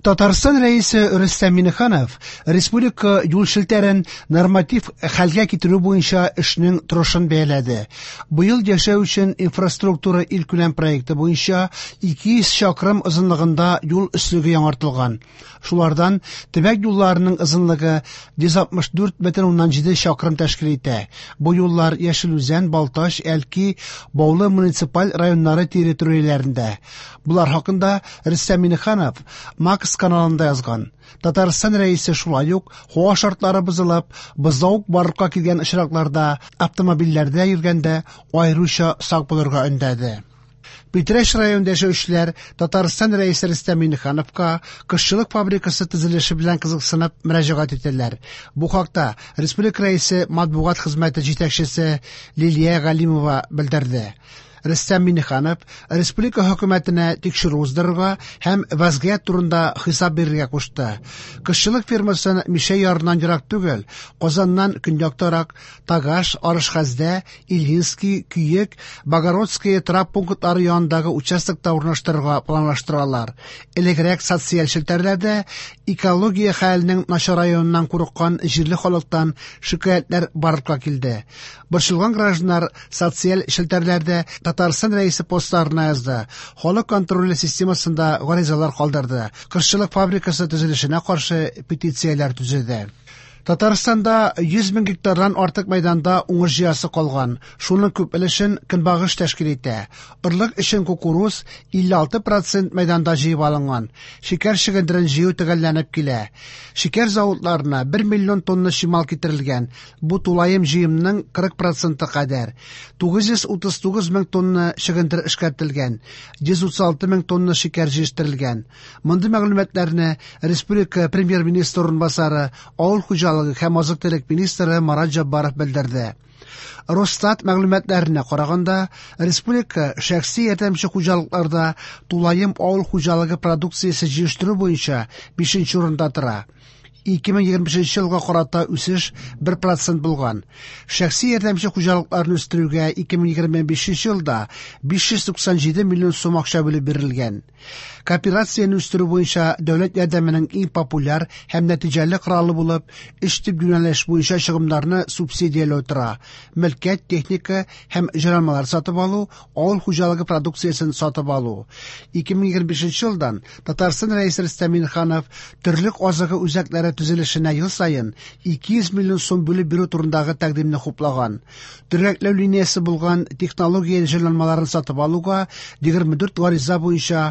Татарстан Рәисе Рөстәм Миңнеханов республика юл челтәрен норматив хәлгә китерү буенча эшнең торышын бәяләде. Быел яшәү өчен инфраструктура илкүләм проекты буенча 200 чакрым озынлыгында юл өслеге яңартылган. Шулардан төбәк юлларының озынлыгы 164,7 чакрым тәшкил итә. Бу юллар Яшел Үзән, Балтач, Әлки, Баулы муниципаль районнары территорияләрендә. Болар хакында Рөстәм Миңнеханов Макс каналында язган. Татарстан Рәисе шулай ук һава шартлары бозылып, бозлавык барлыкка килгән очракларда автомобильләрдә йөргәндә аеруча сак булырга өндәде. Питрәч районында яшәүчеләр Татарстан Рәисе Рөстәм Миңнехановка кошчылык фабрикасы төзелеше белән кызыксынып мөрәҗәгать итәләр. Бу хакта республика Рәисе матбугат хезмәте җитәкчесе Лилия Галимова белдерде. Рөстәм Миңнеханов республика хөкүмәтенә тикшерү уздырырга һәм вазгыять турында хисап бирергә кушты. Кошчылык фермасын Мишә ярыннан ерак түгел, Казаннан көньяктарак Тагаш, Арышхаздә, Ильинский, Көек, Богородское торак пунктлары янындагы участокта урнаштырырга планлаштыралар. Элегрәк социаль челтәрләрдә экология хәленең начараюыннан курыккан җирле халыктан шикаятьләр барлыкка килде. Борчылган гражданнар социаль челтәрләрдә Татарстан Рәисе постларына язды, халык контроле системасында гаризалар калдырды, кошчылык фабрикасы төзелешенә каршы петицияләр төзеде. Татарстанда 100 мең гектардан артык мәйданда уңыш җыясы калган. Шуның күп өлешен көнбагыш тәшкил итә. Орлык өчен кукуруз 56% мәйданда җыеп алынган. Шикәр чөгендерен җыю төгәлләнеп килә. Шикәр заводларына 1 миллион тонна чимал китерелгән. Бу тулаем җыемның 40% кадәр. 939 мең тонна чөгендер эшкәртелгән. 136 мең тонна шикәр җитештерелгән. Мондый мәгълүматларны республика премьер-министры урынбасары, авыл хуҗалыгы һәм азык-төлек министры Марат Җаббаров белдерде. Росстат мәгълүматларына караганда, республика шәхси ярдәмче хуҗалыкларда тулаем авыл хуҗалыгы продукциясе җитештерү буенча 5 урында тора. 2025 елга карата үсеш 1% булган. Шәхси ярдәмче хуҗалыкларны үстерүгә 2025 елда 597 миллион сум акча бүлеп бирелгән. Кооперацияне үстерү буенча дәүләт ярдәменең иң популяр һәм нәтиҗәле коралы булып, өч төп юнәлеш буенча чыгымнарны субсидияләү тора: мөлкәт, техника һәм җайланмалар сатып алу, авыл хуҗалыгы продукциясен сатып алу. 2025 елдан Татарстан Рәисе Рөстәм Миңнеханов терлек азыгы үзәкләре төзелешенә ел саен 200 миллион сум бүлеп бирү турындагы тәкъдимне хуплаган. Төргәкләү линиясе булган технология җайланмаларын сатып алуга 24 гариза буенча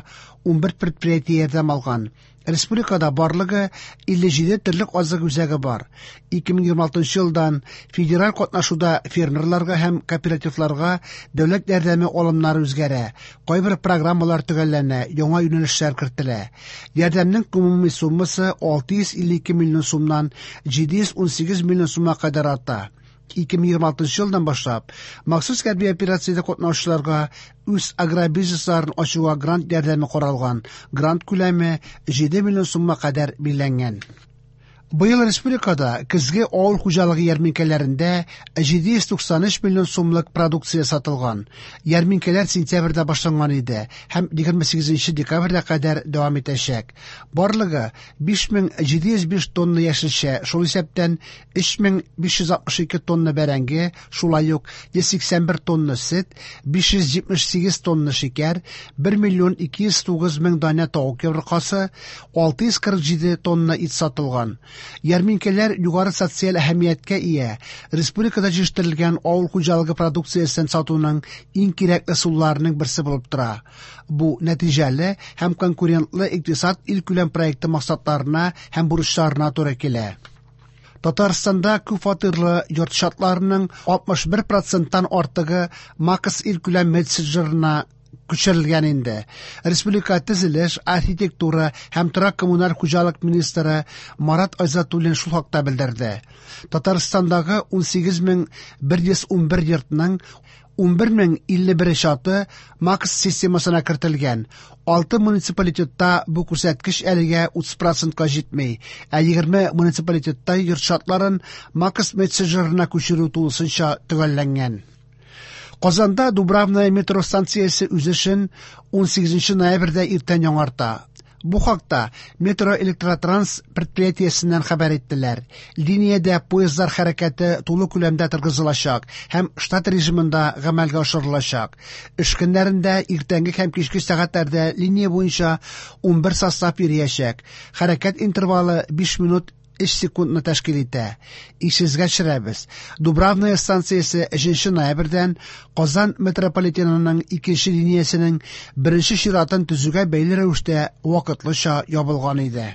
11 предприятие ярдәм алган. Республикада барлыгы 57 терлек азык үзәге бар. 2026 елдан федераль катнашуда фермерларга һәм кооперативларга дәүләт ярдәме алымнары үзгәрә. Кайбер программалар төгәлләнә, яңа юнәлешләр кертелә. Ярдәмнең гомуми суммасы 652 миллион сумнан 718 миллион сумга кадәр арта. 2026 елдан башлап махсус хәрби операциядә катнашучыларга үз агробизнесларын ачуга грант ярдәме каралган. Грант күләме 7 миллион сумга кадәр билгеләнгән. Быел республикада көзге авыл хуҗалыгы ярминкәләрендә 793 миллион сумлык продукция сатылган. Ярминкәләр сентябрьдә башланган иде һәм 28 декабрьгә кадәр дәвам итәчәк. Барлыгы 5705 тонна яшелчә, шул исәптән 3562 тонна бәрәңге, шулай ук 181 тонна сөт, 578 тонна шикәр, 1 миллион 209 мең данә тавык йомыркасы, 647 тонна ит сатылган. Ярминкәләр югары социаль әһәмияткә ия. Республикада җитештерелгән авыл хуҗалыгы продукциясен сатуның иң кирәкле ысулларының берсе булып тора. Бу нәтиҗәле һәм конкурентлы икътисад илкүләм проекты максатларына һәм бурычларына туры килә. Татарстанда күп фатирлы йорт шартларының 61%-тан артыгы Макс илкүләм мессенджерына күчерелгән инде. Республика төзелеш, архитектура һәм торак коммуналь хуҗалык министры Марат Айзатуллин шул хакта белдерде. Татарстандагы 18111 йортның 11051 чаты Макс системасына кертелгән. 6 муниципалитетта бу күрсәткеч әлегә 30%-ка җитми, ә 20 муниципалитетта йорт шартларын Макс мессенджерына күчерү тулысынча төгәлләнгән. Казанда Дубравная метро станциясе үз эшен 18 ноябрьдә иртән яңарта. Бу хакта Метроэлектротранс предприятиесеннән хәбәр иттеләр. Линиядә поездлар хәрәкәте тулы күләмдә торгызылачак һәм штат режимында гамәлгә ашырылачак. Эш көннәрендә иртәнге һәм кичке сәгатьләрдә линия буенча 11 состав йөриячәк. Хәрәкәт интервалы 5 минут 3 секундны тәшкил итә. Исегезгә төшерәбез, Дубравная станциясе 3 ноябрьдән Казан метрополитенының икенче линиясенең беренче чиратын төзүгә бәйле рәвештә вакытлыча ябылган иде.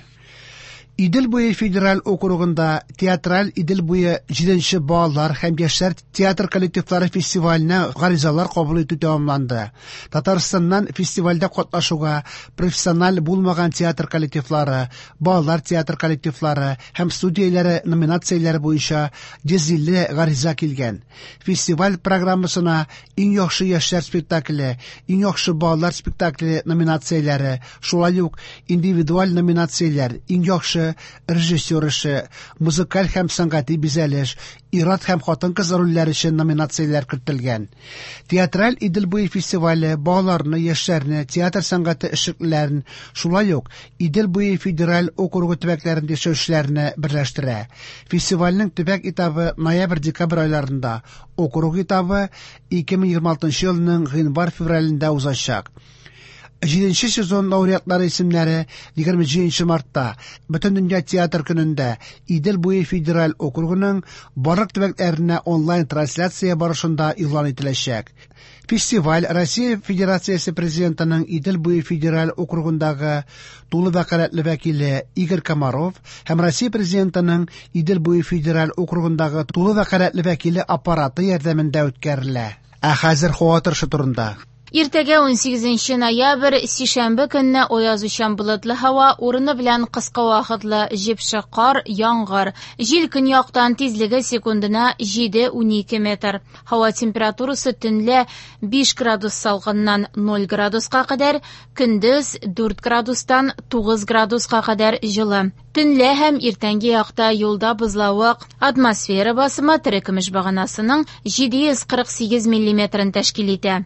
Идел буе федераль округында Театраль Идел буе 7нче балалар һәм яшьләр театр коллективлары фестиваленә гаризалар кабул итү тәмамланды. Татарстаннан фестивальдә катнашуга профессиональ булмаган театр коллективлары, балалар театр коллективлары һәм студияләре номинацияләре буенча 150 гариза килгән. Фестиваль программасына иң яхшы яшьләр спектакле, иң яхшы балалар спектакле номинацияләре, шулай ук индивидуаль номинацияләр, иң яхшы режиссер эше, музыкаль һәм сәнгати бизәлеш, ир-ат һәм хатын-кыз рольләре өчен номинацияләр кертелгән. Театраль Идел буе фестивале балаларны, яшьләрне, театр сәнгате эшлеклеләрен, шулай ук Идел буе федераль округы төбәкләрендә яшәүчеләрне берләштерә. Фестивальнең төбәк этабы ноябрь-декабрь айларында, округ этабы 2026 елның гыйнвар-февралендә узачак. Җиденче сезон лауреатлары исемнәре 27 мартта Бөтендөнья театр көнендә Идел буе федераль округының барлык төбәкләренә онлайн-трансляция барышында игълан ителәчәк. Фестиваль Россия Федерациясе Президентының Идел буе федераль округындагы тулы вәкаләтле вәкиле Игорь Комаров һәм Россия Президентының Идел буе федераль округындагы тулы вәкаләтле вәкиле аппараты ярдәмендә үткәрелә. Ә хәзер һава торышы турында. Иртәгә 18 ноябрь, сишәмбе көнне аязучан болытлы һава, урыны белән кыска вакытлы җепшек кар, яңгыр. Җил көньяктан, тизлеге секундына 7-12 метр. Һава температурасы төнлә 5 градус салкыннан 0 градуска кадәр, көндез 4 градустан 9 градуска кадәр җылы. Төнлә һәм иртәнге якта юлда бозлавык. Атмосфера басымы терекөмеш баганасының 748 миллиметрын тәшкил итә.